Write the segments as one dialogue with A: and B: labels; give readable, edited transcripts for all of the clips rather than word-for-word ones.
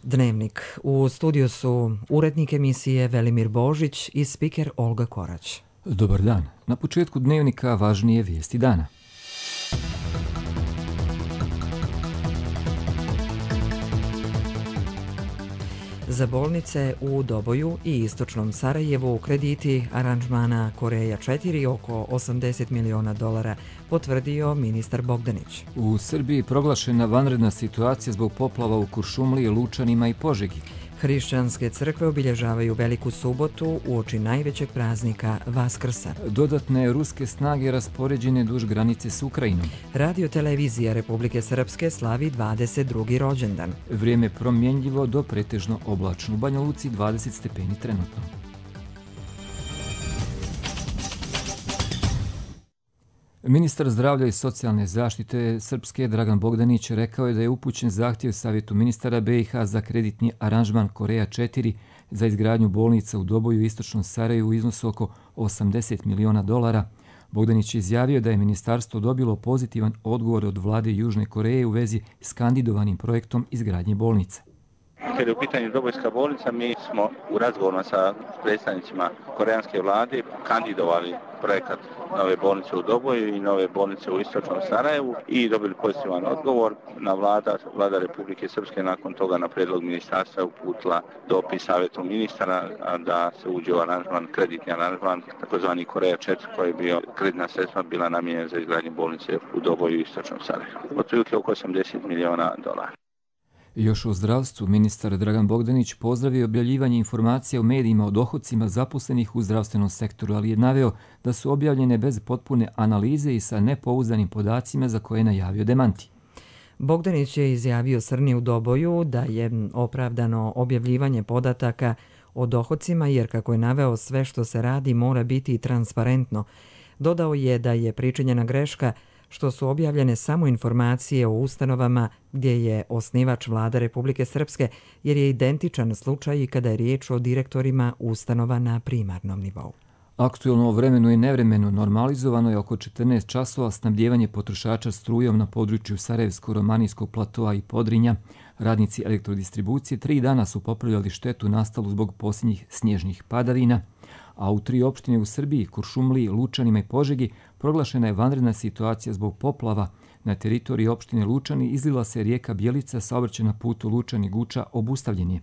A: Dnevnik. U studiju su urednik emisije Velimir Božić i spiker Olga Korać.
B: Dobar dan. Na početku Dnevnika važnije vijesti dana.
A: Za bolnice u Doboju i istočnom Sarajevu krediti aranžmana Koreja 4 oko $80 miliona, potvrdio ministar Bogdanić.
B: U Srbiji proglašena vanredna situacija zbog poplava u Kuršumliji, Lučanima i Požegi.
A: Hrišćanske crkve obilježavaju Veliku subotu uoči najvećeg praznika Vaskrsa.
B: Dodatne ruske snage raspoređene duž granice s Ukrajinom.
A: Radio televizija Republike Srpske slavi 22. rođendan.
B: Vrijeme promjenjivo do pretežno oblačno. U Banja Luci 20 stepeni trenutno. Ministar zdravlja i socijalne zaštite Srpske Dragan Bogdanić rekao je da je upućen zahtjev Savjetu ministara BiH za kreditni aranžman Koreja 4 za izgradnju bolnica u Doboju i istočnom Sarajevu u iznosu oko $80 miliona. Bogdanić je izjavio da je ministarstvo dobilo pozitivan odgovor od vlade Južne Koreje u vezi s kandidovanim projektom izgradnje bolnica.
C: Kad je u pitanju Dobojska bolnica, mi smo u razgovorima sa predstavnicima koreanske vlade kandidovali projekat nove bolnice u Doboju i nove bolnice u istočnom Sarajevu i dobili pozitivan odgovor. Vlada Republike Srpske nakon toga na prijedlog ministarstva uputila dopis Savjetu ministara da se uđe u aranžman, kreditni aranžman, takozvani Koreja 4, koji je bio kreditna sredstva bila namijenjena za izgradnju bolnice u Doboju i istočnom Sarajevu. Otprilike oko $80 miliona.
B: Još u zdravstvu ministar Dragan Bogdanić pozdravio objavljivanje informacija u medijima o dohodcima zaposlenih u zdravstvenom sektoru, ali je naveo da su objavljene bez potpune analize i sa nepouzdanim podacima za koje je najavio demanti.
A: Bogdanić je izjavio Srni u Doboju da je opravdano objavljivanje podataka o dohodcima jer, kako je naveo, sve što se radi mora biti transparentno. Dodao je da je pričinjena greška što su objavljene samo informacije o ustanovama gdje je osnivač vlada Republike Srpske, jer je identičan slučaj i kada je riječ o direktorima ustanova na primarnom nivou.
B: Aktuelno o vremenu i nevremenu normalizovano je oko 14 časova snabdijevanje potrošača strujom na području Sarajevsko-Romanijskog platoa i Podrinja. Radnici elektrodistribucije 3 dana su popravljali štetu nastalu zbog posljednjih snježnih padavina, a u 3 opštine u Srbiji, Kuršumliji, Lučanima i Požegi, proglašena je vanredna situacija zbog poplava. Na teritoriji opštine Lučani izlila se rijeka Bjelica, saobraćaj na putu Lučani-Guča obustavljen je.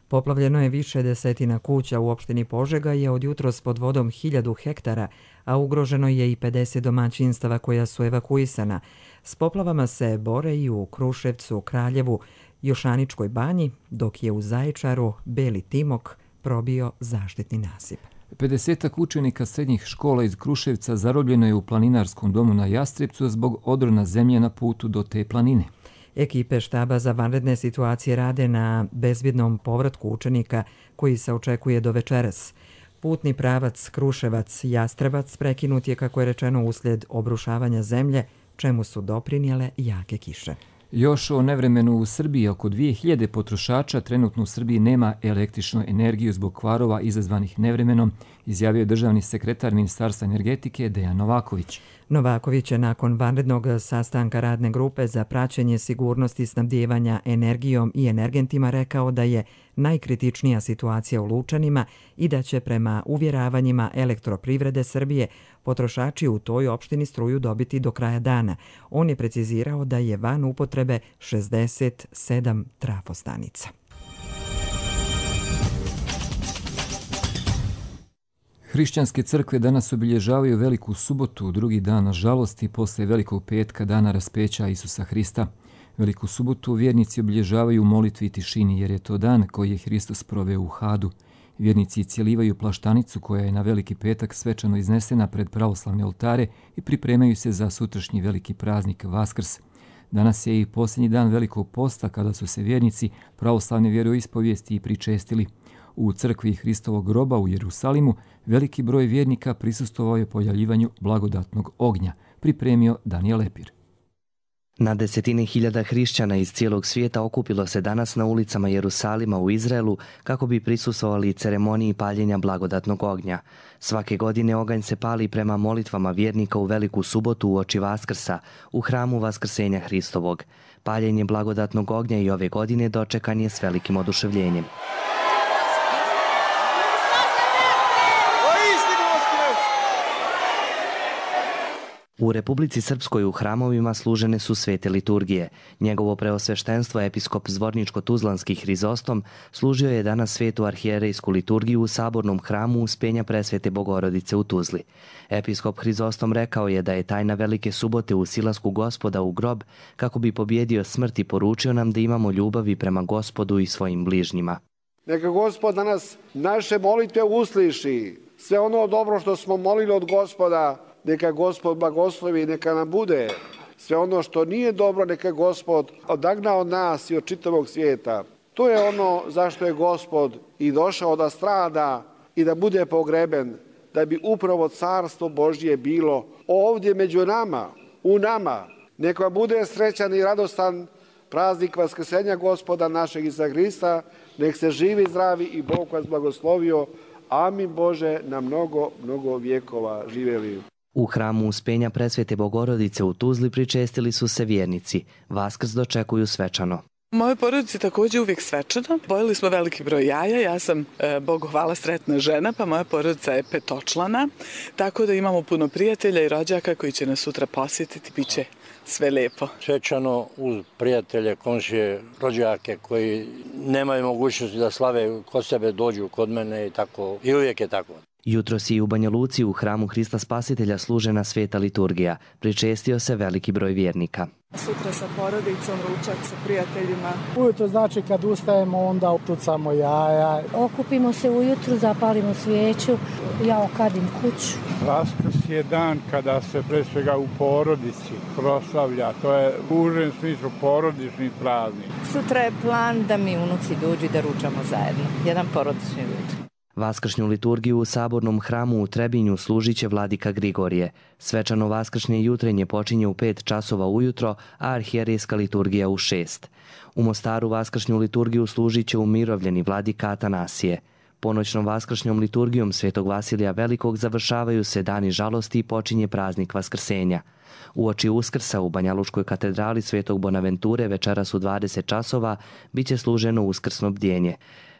A: Poplavljeno je više desetina kuća u opštini Požega je od jutros pod vodom 1000 hektara, a ugroženo je i 50 domaćinstava koja su evakuisana. S poplavama se bore i u Kruševcu, Kraljevu, Jošaničkoj banji, dok je u Zaječaru Beli Timok probio zaštitni nasip.
B: 50 učenika srednjih škola iz Kruševca zarobljeno je u planinarskom domu na Jastrebcu zbog odrona zemlje na putu do te planine.
A: Ekipe štaba za vanredne situacije rade na bezbjednom povratku učenika koji se očekuje do večeras. Putni pravac Kruševac-Jastrebac prekinut je, kako je rečeno, uslijed obrušavanja zemlje, čemu su doprinijele jake kiše.
B: Još o nevremenu u Srbiji. Oko 2000 potrošača trenutno u Srbiji nema električnu energiju zbog kvarova izazvanih nevremenom, izjavio je državni sekretar Ministarstva energetike Dejan Novaković.
A: Novaković je nakon vanrednog sastanka radne grupe za praćenje sigurnosti snabdijevanja energijom i energentima rekao da je najkritičnija situacija u Lučanima i da će prema uvjeravanjima Elektroprivrede Srbije potrošači u toj opštini struju dobiti do kraja dana. On je precizirao da je van upotrebe 67 trafostanica.
B: Hrišćanske crkve danas obilježavaju Veliku subotu, drugi dan žalosti posle Velikog petka, dana raspeća Isusa Hrista. Veliku subotu vjernici obilježavaju u molitvi i tišini, jer je to dan koji je Hristos proveo u Hadu. Vjernici cijelivaju plaštanicu koja je na Veliki petak svečano iznesena pred pravoslavne oltare i pripremaju se za sutrašnji veliki praznik Vaskrs. Danas je i posljednji dan Velikog posta kada su se vjernici pravoslavne vjeroispovijesti i pričestili. U crkvi Hristovog groba u Jerusalimu veliki broj vjernika prisustvovao je pojavljivanju blagodatnog ognja, pripremio Danijel Lepir.
D: Na desetine hiljada hrišćana iz cijelog svijeta okupilo se danas na ulicama Jerusalima u Izraelu kako bi prisustvovali ceremoniji paljenja blagodatnog ognja. Svake godine oganj se pali prema molitvama vjernika u Veliku subotu uoči Vaskrsa u hramu Vaskrsenja Hristovog. Paljenje blagodatnog ognja i ove godine dočekan je s velikim oduševljenjem. U Republici Srpskoj u hramovima služene su svete liturgije. Njegovo preosveštenstvo episkop Zvorničko-Tuzlanski Hrizostom služio je danas svetu arhijerejsku liturgiju u sabornom hramu Uspenja Presvete Bogorodice u Tuzli. Episkop Hrizostom rekao je da je tajna Velike subote u silasku Gospoda u grob kako bi pobjedio smrt i poručio nam da imamo ljubavi prema Gospodu i svojim bližnjima.
E: Neka Gospod danas naše molitve usliši. Sve ono dobro što smo molili od Gospoda, neka Gospod blagoslovi i neka nam bude. Sve ono što nije dobro, neka Gospod odagna od nas i od čitavog svijeta. To je ono zašto je Gospod i došao da strada i da bude pogreben, da bi upravo carstvo Božje bilo ovdje među nama, u nama. Neka bude srećan i radostan praznik Vaskrsenja Gospoda našeg Isusa Hrista. Nek se živi, zdravi i Bog vas blagoslovio. Amin Bože, na mnogo, mnogo vjekova živjeli.
D: U hramu Uspenja Presvete Bogorodice u Tuzli pričestili su se vjernici. Vaskrs dočekuju svečano.
F: Moje porodici također uvijek svečano. Pojeli smo veliki broj jaja, ja sam, Bogu hvala, sretna žena, pa moja porodica je petočlana, tako da imamo puno prijatelja i rođaka koji će nas sutra posjetiti, bit će sve lijepo.
G: Svečano uz prijatelje, komšije, rođake koji nemaju mogućnosti da slave kod sebe, dođu kod mene i tako, i uvijek je tako.
D: Jutros i u Banja Luci u hramu Hrista Spasitelja služena sveta liturgija. Pričestio se veliki broj vjernika.
F: Sutra sa porodicom, ručak sa prijateljima.
H: Ujutro znači kad ustajemo onda utucamo jaja.
I: Okupimo se ujutru, zapalimo svijeću, ja okadim kuću.
J: Vaskrs je dan kada se pre svega u porodici proslavlja. To je u užem smislu porodični praznik.
I: Sutra je plan da mi unuci dođu da ručamo zajedno. Jedan porodični ručak.
D: Vaskršnju liturgiju u sabornom hramu u Trebinju služit će vladika Grigorije. Svečano vaskršnje jutrenje počinje u 5 časova ujutro, a arhijerejska liturgija u 6. U Mostaru vaskršnju liturgiju služit će umirovljeni vladika Atanasije. Ponoćnom vaskršnjom liturgijom Svetog Vasilija Velikog završavaju se dani žalosti i počinje praznik Vaskrsenja. Uoči Uskrsa u Banjalučkoj katedrali Svetog Bonaventure večeras u 20 časova bit će služeno uskrsno bdjenje.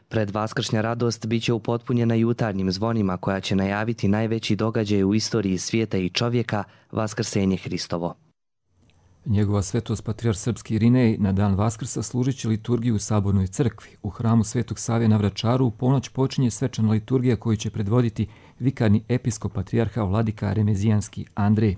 D: Predvaskršnja radost bit će upotpunjena jutarnjim zvonima koja će najaviti najveći događaj u istoriji svijeta i čovjeka, Vaskrsenje Hristovo.
B: Njegova svetost patrijarh srpski Irinej na dan Vaskrsa služit će liturgiju u Sabornoj crkvi. U hramu Svetog Save na Vračaru u ponoć počinje svečana liturgija koju će predvoditi vikarni episkop patrijarha vladika Remezijanski Andrej.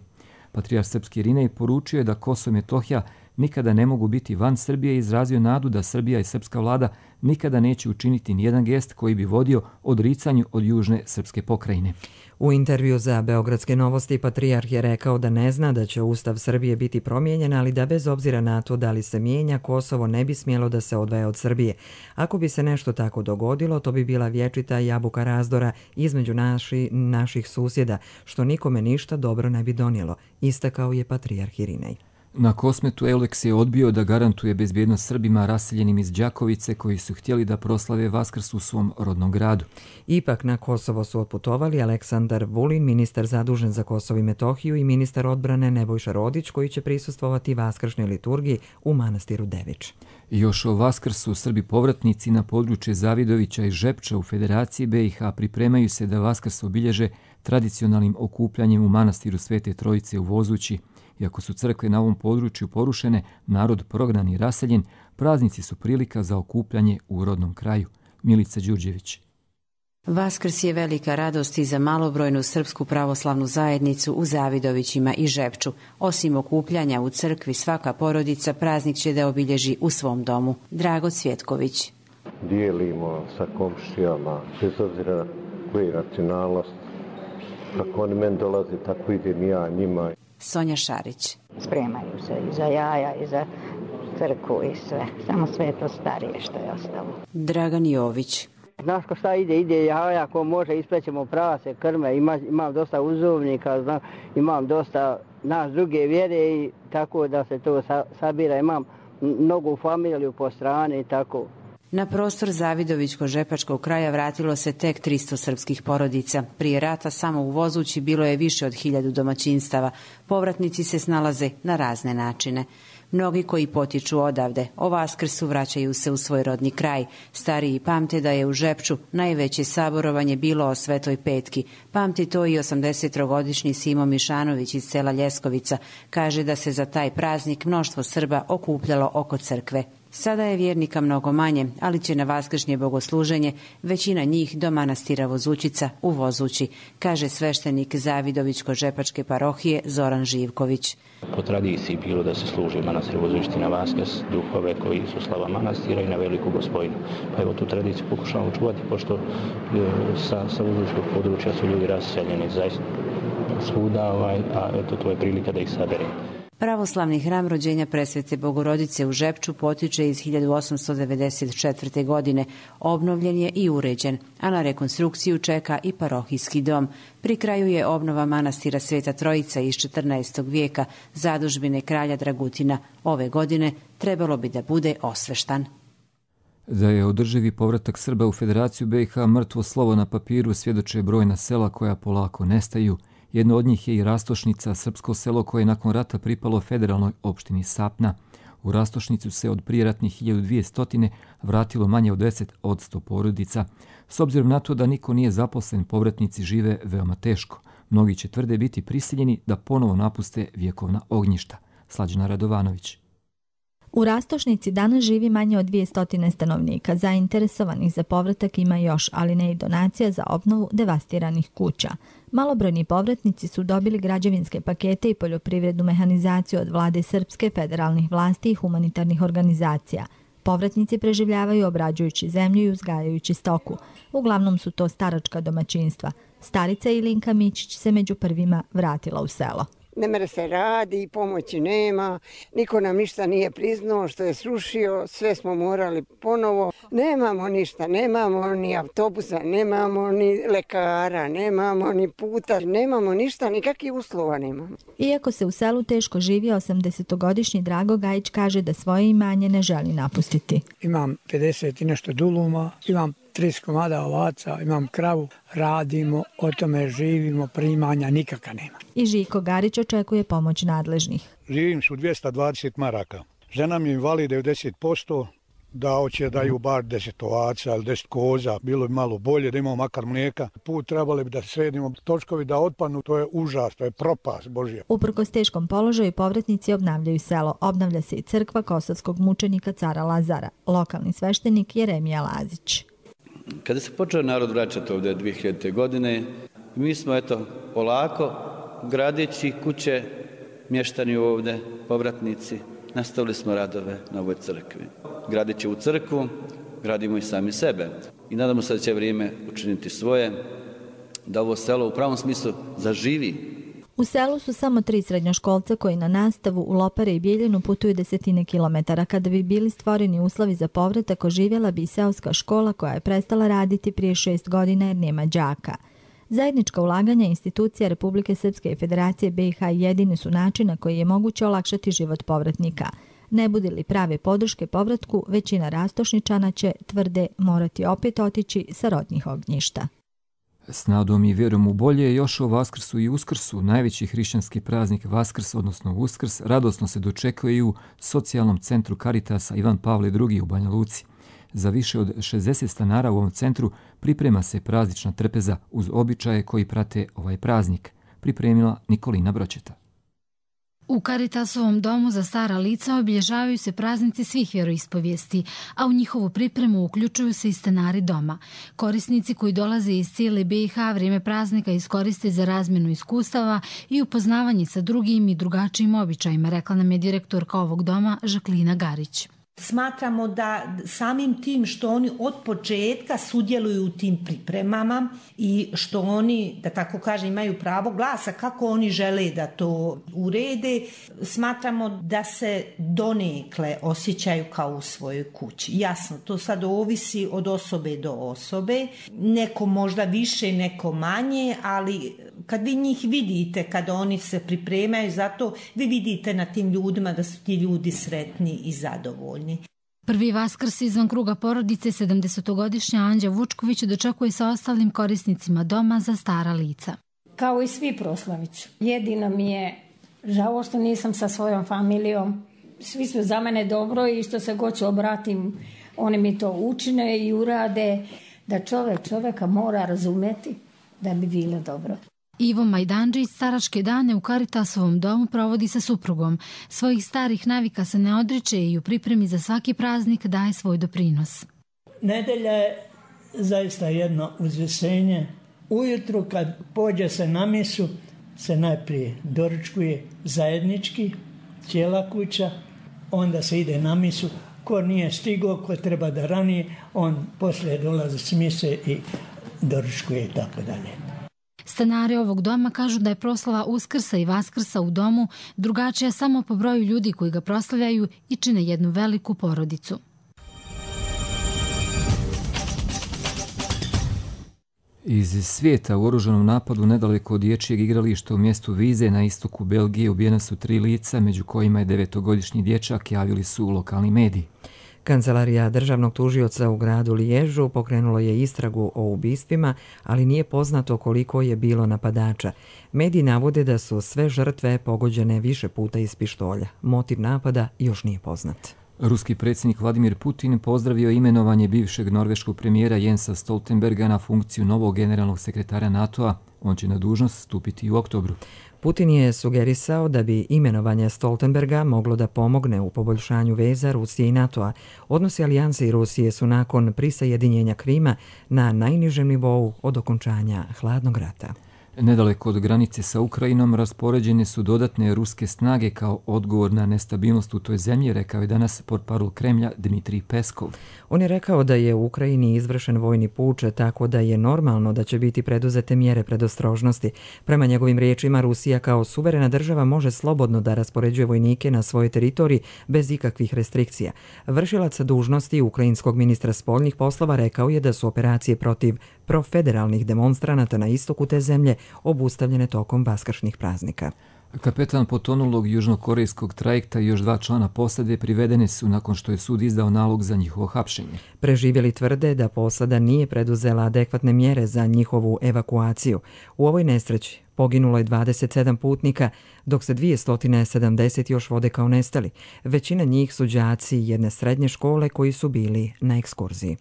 B: Patrijarh srpski Irinej poručio je da Kosovo i Metohija nikada ne mogu biti van Srbije i izrazio nadu da Srbija i srpska vlada nikada neće učiniti nijedan gest koji bi vodio odricanju od južne srpske pokrajine.
A: U intervju za Beogradske novosti patrijarh je rekao da ne zna da će Ustav Srbije biti promijenjen, ali da bez obzira na to da li se mijenja, Kosovo ne bi smjelo da se odvaja od Srbije. Ako bi se nešto tako dogodilo, to bi bila vječita jabuka razdora između naših susjeda, što nikome ništa dobro ne bi donijelo, istakao je patrijarh Irinej.
B: Na Kosmetu Euleks je odbio da garantuje bezbjednost Srbima raseljenim iz Đakovice koji su htjeli da proslave Vaskrs u svom rodnom gradu.
A: Ipak na Kosovo su otputovali Aleksandar Vulin, ministar zadužen za Kosovo i Metohiju, i ministar odbrane Nebojša Rodić, koji će prisustvovati vaskršnjoj liturgiji u manastiru Devič.
B: Još o Vaskrsu Srbi povratnici na područje Zavidovića i Žepča u Federaciji BiH pripremaju se da Vaskrs obilježe tradicionalnim okupljanjem u manastiru Svete Trojice u Vozući. Iako su crkve na ovom području porušene, narod prognan i raseljen, praznici su prilika za okupljanje u rodnom kraju. Milica Đurđević.
K: Vaskrs je velika radost i za malobrojnu srpsku pravoslavnu zajednicu u Zavidovićima i Žepču. Osim okupljanja u crkvi, svaka porodica praznik će da obilježi u svom domu. Drago Cvjetković.
L: Dijelimo sa komšijama, bez obzira koji racionalnost. Kako oni meni dolaze, tako idem ja njima.
K: Sonja Šarić.
M: Spremaju se i za jaja i za crkvu i sve. Samo sve to starije što je ostalo.
K: Dragan Jović.
N: Znaš ko šta ide jaja, ko može isprećemo prase, krme, imam dosta uzovnika, imam dosta nas druge vjere i tako da se to sabira. Imam mnogu familiju po strani i tako.
K: Na prostor Zavidovićko-žepačkog kraja vratilo se tek 300 srpskih porodica. Prije rata samo u Vozući bilo je više od 1000 domaćinstava. Povratnici se snalaze na razne načine. Mnogi koji potiču odavde, o Vaskrsu vraćaju se u svoj rodni kraj. Stariji pamte da je u Žepču najveće saborovanje bilo o Svetoj Petki. Pamti to i 83-godišnji Simo Mišanović iz sela Ljeskovica. Kaže da se za taj praznik mnoštvo Srba okupljalo oko crkve. Sada je vjernika mnogo manje, ali će na vaskršnje bogosluženje većina njih do manastira Vozućica u Vozući, kaže sveštenik Zavidovićko-žepačke parohije Zoran Živković.
O: Po tradiciji bilo da se služi manastir Vozućici na Vaskrs, duhove koji su slava manastira i na Veliku Gospojinu. Pa evo tu tradiciju pokušavamo čuvati, pošto sa vozućkog područja su ljudi raseljeni zaista svuda, a eto to je prilika da ih saberemo.
K: Pravoslavni hram rođenja Presvete Bogorodice u Žepču potiče iz 1894. godine. Obnovljen je i uređen, a na rekonstrukciju čeka i parohijski dom. Pri kraju je obnova manastira Sveta Trojica iz 14. vijeka, zadužbine kralja Dragutina. Ove godine trebalo bi da bude osveštan.
B: Da je održivi povratak Srba u Federaciju BiH mrtvo slovo na papiru svjedoče brojna sela koja polako nestaju. Jedno od njih je i Rastošnica, srpsko selo koje je nakon rata pripalo federalnoj opštini Sapna. U Rastošnicu se od prijeratnih 1200 vratilo manje od 10% porodica. S obzirom na to da niko nije zaposlen, povratnici žive veoma teško. Mnogi će tvrde biti prisiljeni da ponovo napuste vjekovna ognjišta. Slađana Radovanović.
P: U Rastošnici danas živi manje od 200 stanovnika. Zainteresovanih za povratak ima još, ali ne i donacija za obnovu devastiranih kuća. Malobrojni povratnici su dobili građevinske pakete i poljoprivrednu mehanizaciju od vlade srpske, federalnih vlasti i humanitarnih organizacija. Povratnici preživljavaju obrađujući zemlju i uzgajajući stoku. Uglavnom su to staračka domaćinstva. Starica Ilinka Mićić se među prvima vratila u selo.
Q: Ne mere se radi, pomoći nema, niko nam ništa nije priznao što je srušio, sve smo morali ponovo. Nemamo ništa, nemamo ni autobusa, nemamo ni lekara, nemamo ni puta, nemamo ništa, nikakvih uslova nemamo.
P: Iako se u selu teško živi, 80-godišnji Drago Gajić kaže da svoje imanje ne želi napustiti.
R: Imam 50 i nešto duluma, imam 30 komada ovaca, imam kravu, radimo, o tome živimo, primanja nikakva nema.
P: I Žiko Garić očekuje pomoć nadležnih.
S: Živim su 220 maraka. Žena mi invali 90%, da hoće daju bar 10 ovaca ili 10 koza, bilo bi malo bolje da imamo makar mlijeka. Put trebali bi da sredimo, točkovi da otpadnu, to je užas, to je propast Božja.
P: Uprkos teškom položaju povratnici obnavljaju selo. Obnavlja se i crkva kosovskog mučenika cara Lazara. Lokalni sveštenik Jeremija Lazić.
T: Kada se počeo narod vraćati ovdje 2000. godine, mi smo polako gradeći kuće, mještani ovdje, povratnici, nastavili smo radove na ovoj crkvi. Gradeći u crkvu, gradimo i sami sebe. I nadamo se da će vrijeme učiniti svoje, da ovo selo u pravom smislu zaživi.
P: U selu su samo 3 srednjoškolca koji na nastavu u Lopare i Bijeljinu putuju desetine kilometara. Kada bi bili stvoreni uslovi za povratak, oživjela bi i seoska škola koja je prestala raditi prije 6 godina jer nema đaka. Zajednička ulaganja institucija Republike Srpske i Federacije BiH jedini su način na koji je moguće olakšati život povratnika. Ne bude li prave podrške povratku, većina Rastošničana će, tvrde, morati opet otići sa rodnih ognjišta.
B: S nadom i vjerom u bolje još o Vaskrsu i Uskrsu, najveći hrišćanski praznik Vaskrs, odnosno Uskrs, radosno se dočekuje i u socijalnom centru Karitasa Ivan Pavle II u Banja Luci. Za više od 60 stanara u ovom centru priprema se praznična trpeza uz običaje koji prate ovaj praznik, pripremila Nikolina Bročeta.
U: U Karitasovom domu za stara lica obilježavaju se praznici svih vjeroispovijesti, a u njihovu pripremu uključuju se i stanari doma. Korisnici koji dolaze iz cijele BiH vrijeme praznika iskoriste za razmjenu iskustava i upoznavanje sa drugim i drugačijim običajima, rekla nam je direktorka ovog doma Žaklina Garić.
V: Smatramo da samim tim što oni od početka sudjeluju u tim pripremama i što oni, da tako kažem, imaju pravo glasa kako oni žele da to urede, smatramo da se donekle osjećaju kao u svojoj kući. Jasno, to sad ovisi od osobe do osobe, neko možda više, neko manje, ali Kad vi njih vidite, kada oni se pripremaju za to, vi vidite na tim ljudima da su ti ljudi sretni i zadovoljni.
U: Prvi Vaskrs izvan kruga porodice 70-godišnja Anđa Vučković dočekuje sa ostalim korisnicima doma za stara lica.
C: Kao i svi proslaviću. Jedino mi je žao što nisam sa svojom familijom. Svi su za mene dobro i što se god ću obratim, oni mi to učine i urade, da čovjeka mora razumjeti da bi bilo dobro.
U: Ivo Majdanđić staračke dane u Karitasovom domu provodi sa suprugom. Svojih starih navika se ne odriče i u pripremi za svaki praznik daje svoj doprinos.
E: Nedelja je zaista jedno uzvisenje. Ujutru kad pođe se na misu, se najprije doručkuje zajednički, cijela kuća, onda se ide na misu. Ko nije stigao, ko treba da ranije, on poslije dolazi s mise i doručkuje i tako dalje.
U: Stanari ovog doma kažu da je proslava Uskrsa i Vaskrsa u domu drugačija samo po broju ljudi koji ga proslavljaju i čine jednu veliku porodicu.
B: Iz svijeta u oružanom napadu nedaleko od dječjeg igrališta u mjestu Vize na istoku Belgije ubijena su 3 lica, među kojima je 9-godišnji dječak, javili su lokalni mediji.
A: Kancelarija državnog tužioca u gradu Liježu pokrenulo je istragu o ubistvima, ali nije poznato koliko je bilo napadača. Mediji navode da su sve žrtve pogođene više puta iz pištolja. Motiv napada još nije poznat.
B: Ruski predsjednik Vladimir Putin pozdravio imenovanje bivšeg norveškog premijera Jensa Stoltenberga na funkciju novog generalnog sekretara NATO-a. On će na dužnost stupiti u oktobru.
A: Putin je sugerisao da bi imenovanje Stoltenberga moglo da pomogne u poboljšanju veza Rusije i NATO-a. Odnosi alijanse i Rusije su nakon prisajedinjenja Krima na najnižem nivou od okončanja hladnog rata.
B: Nedaleko od granice sa Ukrajinom raspoređene su dodatne ruske snage kao odgovor na nestabilnost u toj zemlji, rekao je danas portparol Kremlja Dmitrij Peskov.
A: On je rekao da je u Ukrajini izvršen vojni puč, tako da je normalno da će biti preduzete mjere predostrožnosti. Prema njegovim riječima, Rusija kao suverena država može slobodno da raspoređuje vojnike na svojoj teritoriji bez ikakvih restrikcija. Vršilac dužnosti ukrajinskog ministra spoljnih poslova rekao je da su operacije protiv profederalnih demonstranata na istoku te zemlje obustavljene tokom vaskršnjih praznika.
B: Kapetan potonulog južnokorejskog trajekta i još 2 člana posade privedene su nakon što je sud izdao nalog za njihovo hapšenje.
A: Preživjeli tvrde da posada nije preduzela adekvatne mjere za njihovu evakuaciju. U ovoj nesreći poginulo je 27 putnika, dok se 270 još vode kao nestali. Većina njih su đaci jedne srednje škole koji su bili na ekskurziji.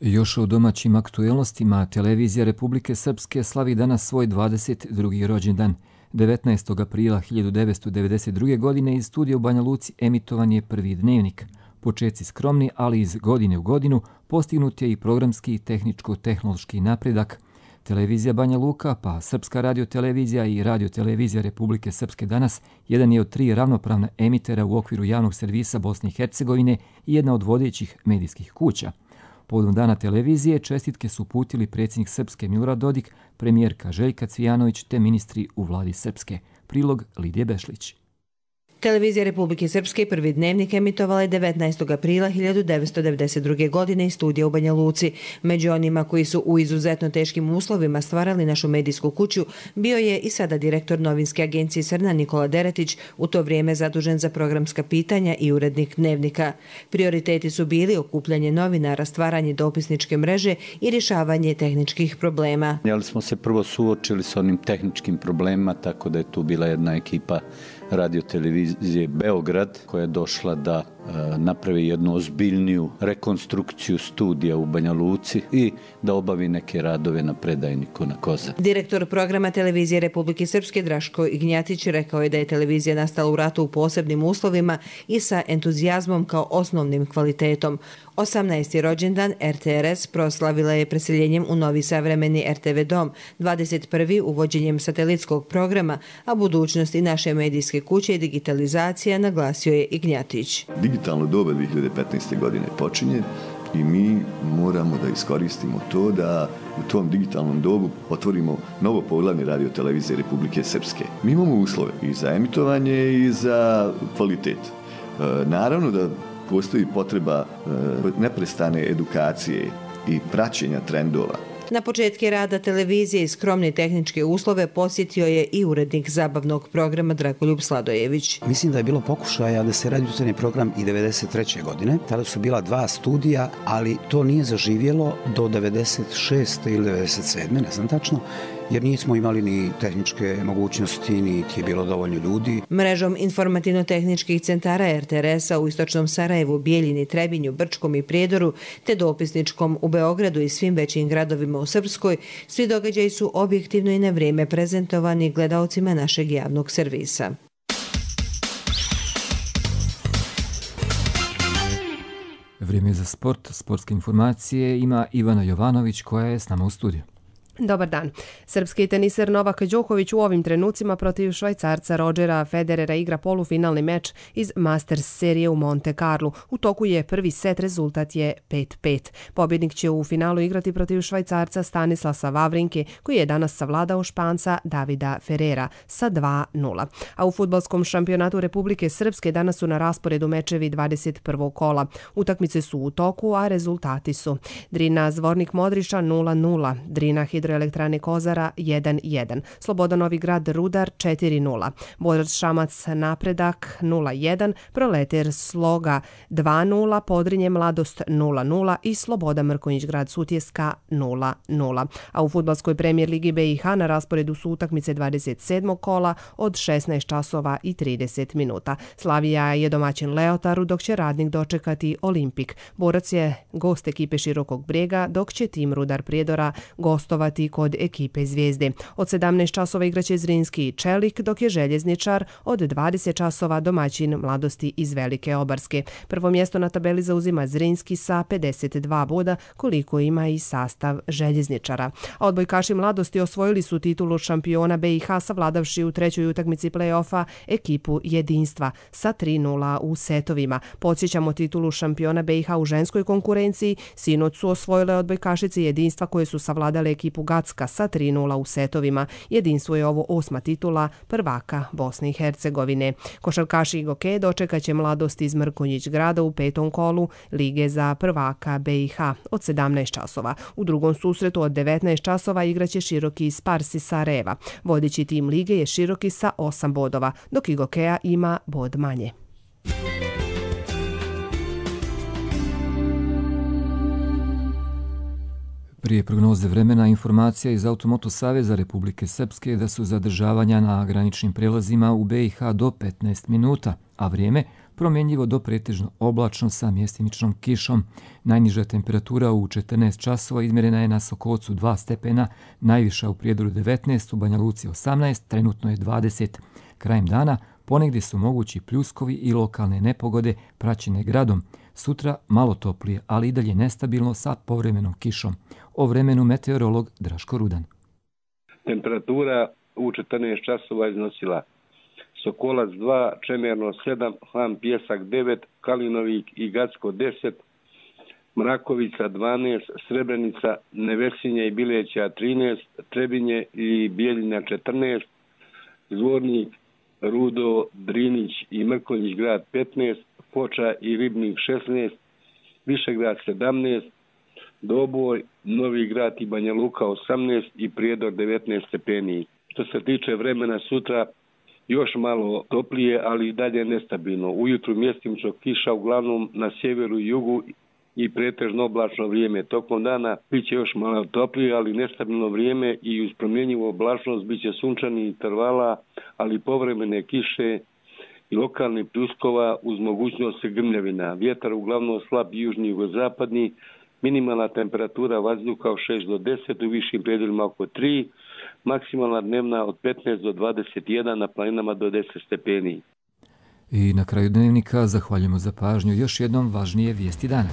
B: Još o domaćim aktuelnostima, televizija Republike Srpske slavi danas svoj 22. rođendan. 19. aprila 1992. godine iz studija u Banja Luci emitovan je prvi dnevnik. Počeci skromni, ali iz godine u godinu postignut je i programski i tehničko-tehnološki napredak. Televizija Banja Luka, pa Srpska radiotelevizija i radiotelevizija Republike Srpske danas jedan je od 3 ravnopravna emitera u okviru javnog servisa Bosne i Hercegovine i jedna od vodećih medijskih kuća. Povodom dana televizije čestitke su uputili predsjednik Srpske Milorad Dodik, premijerka Željka Cvijanović te ministri u vladi Srpske. Prilog Lidije Bešlić.
W: Televizija Republike Srpske prvi dnevnik emitovala je 19. aprila 1992. godine iz studija u Banja Luci. Među onima koji su u izuzetno teškim uslovima stvarali našu medijsku kuću bio je i sada direktor novinske agencije Srna Nikola Deretić, u to vrijeme zadužen za programska pitanja i urednik dnevnika. Prioriteti su bili okupljanje novinara, stvaranje dopisničke mreže i rješavanje tehničkih problema.
X: Ali smo se prvo suočili s onim tehničkim problemima, tako da je tu bila jedna ekipa radiotelevizije Beograd koja je došla da napravi jednu ozbiljniju rekonstrukciju studija u Banja Luci i da obavi neke radove na predajniku na Kozar.
W: Direktor programa televizije Republike Srpske Draško Ignjatić rekao je da je televizija nastala u ratu u posebnim uslovima i sa entuzijazmom kao osnovnim kvalitetom. 18. rođendan RTRS proslavila je preseljenjem u novi savremeni RTV dom, 21. uvođenjem satelitskog programa, a budućnost i naše medijske kuće i digitalizacija, naglasio je Ignjatić.
Y: Digitalno doba 2015. godine počinje i mi moramo da iskoristimo to da u tom digitalnom dobu otvorimo novo poglavlje radiotelevizije Republike Srpske. Mi imamo uslove i za emitovanje i za kvalitet. Naravno da postoji potreba neprestane edukacije i praćenja trendova.
W: Na početke rada televizije i skromne tehničke uslove posjetio je i urednik zabavnog programa Dragoljub Sladojević.
F: Mislim da je bilo pokušaja da se radi jutarnji program i 93. godine. Tada su bila 2 studija, ali to nije zaživjelo do 96. ili 97. ne znam tačno, jer nismo imali ni tehničke mogućnosti, niti je bilo dovoljno ljudi.
W: Mrežom informativno-tehničkih centara RTRS-a u Istočnom Sarajevu, Bijeljini, Trebinju, Brčkom i Prijedoru, te dopisničkom u Beogradu i svim većim gradovima u Srpskoj, svi događaji su objektivno i na vrijeme prezentovani gledaocima našeg javnog servisa.
B: Vrijeme je za sport. Sportske informacije ima Ivana Jovanović koja je s nama u studiju.
G: Dobar dan. Srpski teniser Novak Đoković u ovim trenucima protiv Švajcarca Rodgera Federera igra polufinalni meč iz Masters serije u Monte Carlu. U toku je prvi set, rezultat je 5-5. Pobjednik će u finalu igrati protiv Švajcarca Stanislasa Wawrinke, koji je danas savladao Španca Davida Ferrera sa 2-0. A u fudbalskom šampionatu Republike Srpske danas su na rasporedu mečevi 21. kola. Utakmice su u toku, a rezultati su: Drina Zvornik Modriša 0-0, Drina Hidroelektrane Kozara 1-1, Sloboda Novi Grad Rudar 4-0, Borac Šamac Napredak 0-1, Proleter Sloga 2-0, Podrinje Mladost 0-0 i Sloboda Mrkonjić Grad Sutjeska 0-0. A u fudbalskoj premijer ligi BiH na rasporedu su utakmice 27. kola od 16 časova i 30 minuta. Slavija je domaćin Leotaru, dok će Radnik dočekati Olimpik. Borac je gost ekipe Širokog Brijega, dok će tim Rudar Prijedora gostovati kod ekipe Zvijezde. Od 17 časova igraće Zrinski i Čelik, dok je Željezničar od 20 časova domaćin Mladosti iz Velike Obarske. Prvo mjesto na tabeli zauzima Zrinski sa 52 boda, koliko ima i sastav Željezničara. A odbojkaši Mladosti osvojili su titulu šampiona BiH savladavši u trećoj utakmici play-offa ekipu Jedinstva sa 3-0 u setovima. Podsjećamo, titulu šampiona BiH u ženskoj konkurenciji sinoć su osvojile odbojkašice Jedinstva koje su savladale ekipu Gacka sa 3-0 u setovima. Jedinstvo je ovo 8. titula prvaka Bosne i Hercegovine. Košarkaši Igoke dočekat će Mladost iz Mrkonjić Grada u 5. kolu Lige za prvaka BiH od 17 časova. U drugom susretu od 19 časova igraće Široki iz Parsi Sarajeva. Vodeći tim lige je Široki sa 8 bodova, dok Igokea ima bod manje.
B: Prije prognoze vremena informacija iz Automoto Saveza Republike Srpske da su zadržavanja na graničnim prelazima u BiH do 15 minuta, a vrijeme promjenjivo do pretežno oblačno sa mjestimičnom kišom. Najniža temperatura u 14 časova izmjerena je na Sokocu 2 stepena, najviša u Prijedoru 19, u Banja Luci 18, trenutno je 20. Krajem dana ponegdje su mogući pljuskovi i lokalne nepogode praćene gradom. Sutra malo toplije, ali i dalje nestabilno sa povremenom kišom. O vremenu meteorolog Draško Rudan.
H: Temperatura u 14 časova iznosila Sokolac 2, Čemerno 7, Hlan Pjesak 9, Kalinovik i Gacko 10, Mrakovica 12, Srebrenica, Nevesinje i Bileća 13, Trebinje i Bijeljina 14, Zvornik, Rudo, Drinić i Mrkonjić Grad 15, Foča i Ribnik 16, Višegrad 17, Doboj, Novi Grad i Banja Luka 18 i Prijedor 19 stepeni. Što se tiče vremena sutra, još malo toplije, ali i dalje nestabilno. Ujutru mjestimično kiša, uglavnom na sjeveru i jugu, i pretežno oblačno vrijeme. Tokom dana bit će još malo toplije, ali nestabilno vrijeme i uz promjenjivu oblačnost bit će sunčani intervala, ali povremene kiše i lokalnih pljuskova uz mogućnost grmljavina. Vjetar uglavnom slab južni i jugozapadni, minimalna temperatura vazduha od 6 do 10, u višim predjelima oko 3, maksimalna dnevna od 15 do 21, na planinama do 10 stepeni.
B: I na kraju dnevnika zahvaljujemo za pažnju. Još jednom važnije vijesti dana.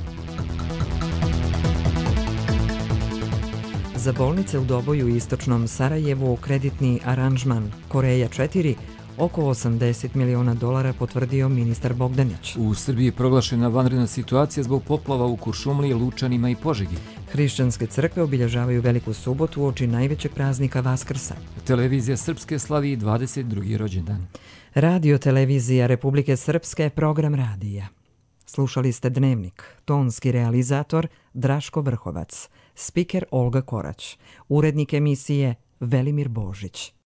A: Za bolnice u Doboju i Istočnom Sarajevu kreditni aranžman Koreja 4 oko $80 miliona potvrdio ministar Bogdanić.
B: U Srbiji je proglašena vanredna situacija zbog poplava u Kuršumliji, Lučanima i Požegi.
A: Hrišćanske crkve obilježavaju Veliku subotu uoči najvećeg praznika Vaskrsa.
B: Televizija Srpske slavi 22. rođendan.
A: Radio televizija Republike Srpske, program radija. Slušali ste Dnevnik, tonski realizator Draško Vrhovac, spiker Olga Korać, urednik emisije Velimir Božić.